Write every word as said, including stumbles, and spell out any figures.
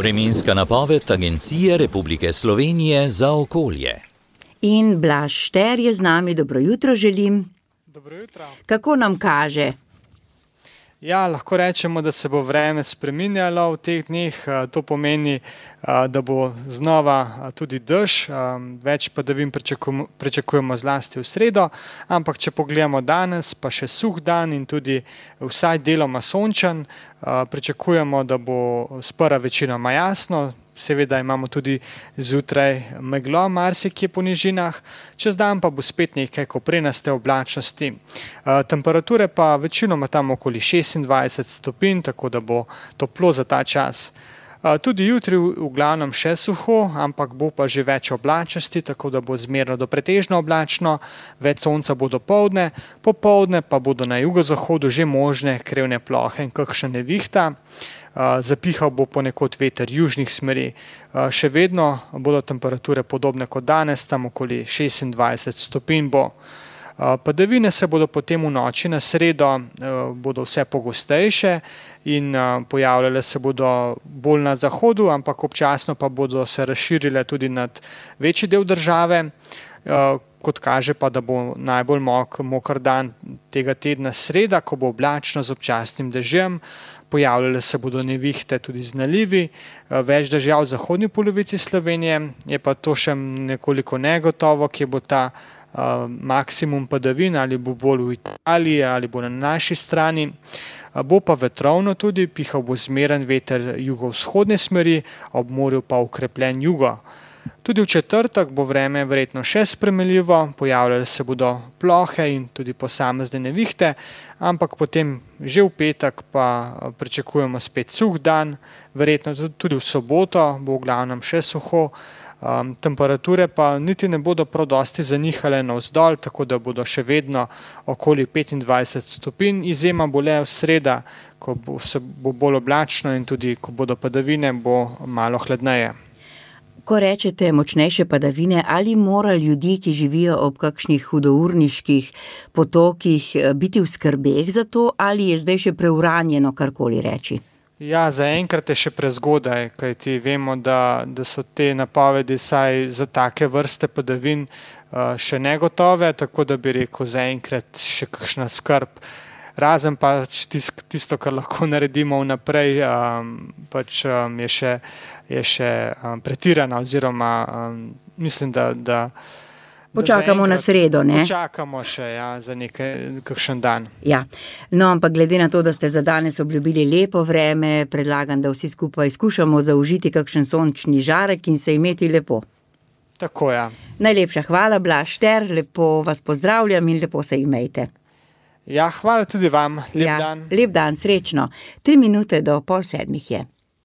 Vremenska napoved Agencije Republike Slovenije za okolje. In Blaž Šter je z nami, dobro jutro želim. Dobro jutro. Kako nam kaže? Ja, lahko rečemo, da se bo vreme spreminjalo v teh dneh. To pomeni, da bo znova tudi dež, več padavin pričakujemo, pričakujemo zlasti v sredo, ampak če pogledamo danes, pa še suh dan in tudi vsaj deloma sončen, pričakujemo, da bo sprva večinoma jasno. Seveda imamo tudi zjutraj meglo marsikje po nižinah, čez dan pa bo spet nekaj koprenaste oblačnosti. Temperature pa večinoma tam okoli šestindvajset stopinj, tako da bo toplo za ta čas. Tudi jutri v glavnem še suho, ampak bo pa že več oblačnosti, tako da bo zmerno do pretežno oblačno, več sonca bo dopoldne, popoldne pa bodo na jugozahodu že možne krevne plohe in kakšna nevihta. Zapihal bo ponekod veter južnih smeri. Še vedno bodo temperature podobne kot danes, tam okoli šestindvajset stopinj bo. Padavine se bodo potem v noči na sredo bodo vse pogostejše in pojavljale se bodo bolj na zahodu, ampak občasno pa bodo se razširile tudi nad večji del države. Kot kaže pa, da bo najbolj mok, moker dan tega tedna sreda, ko bo oblačno z občasnim dežjem. Pojavljale se bodo nevihte tudi z nalivi, več dežja v zahodni polovici Slovenije, je pa to še nekoliko negotovo, kje bo ta uh, maksimum padavin, ali bo bolj v Italiji ali bo na naši strani. Bo pa vetrovno tudi, pihal bo zmeren veter jugovzhodne smeri, ob morju pa ukrepljen jugo. Tudi v četrtek bo vreme verjetno še spremenljivo, pojavljale se bodo plohe in tudi posamezne nevihte, ampak potem že v petek pa pričakujemo spet suh dan, verjetno tudi v soboto bo v glavnem še suho, um, temperature pa niti ne bodo prav dosti zanihale navzdol, tako da bodo še vedno okoli petindvajset stopinj, izjema bo le v sreda, ko bo, se bo bolj oblačno in tudi ko bodo padavine, bo malo hladneje. Ko rečete močnejše padavine, ali mora ljudi, ki živijo ob kakšnih hudourniških potokih, biti v skrbeh za to, ali je zdaj še preuranjeno karkoli reči? Ja, zaenkrat je še prezgodaj, kajti vemo, da, da so te napovedi saj za take vrste padavin uh, še negotove, tako da bi rekel zaenkrat še kakšna skrb. Razen pa tisto, kar lahko naredimo vnaprej, um, pač um, je še, je še um, pretirana oziroma um, mislim, da, da počakamo na sredo, ne? Počakamo še, ja, za nekaj, kakšen dan. Ja, no, ampak glede na to, da ste za danes obljubili lepo vreme, predlagam, da vsi skupaj skušamo zaužiti kakšen sončni žarek in se imeti lepo. Tako, ja. Najlepša hvala, Blaž Šter, lepo vas pozdravljam in lepo se imejte. Ja, hvala tudi vam. Lep ja, dan. Lep dan, srečno. Tri minute do pol sedmih je.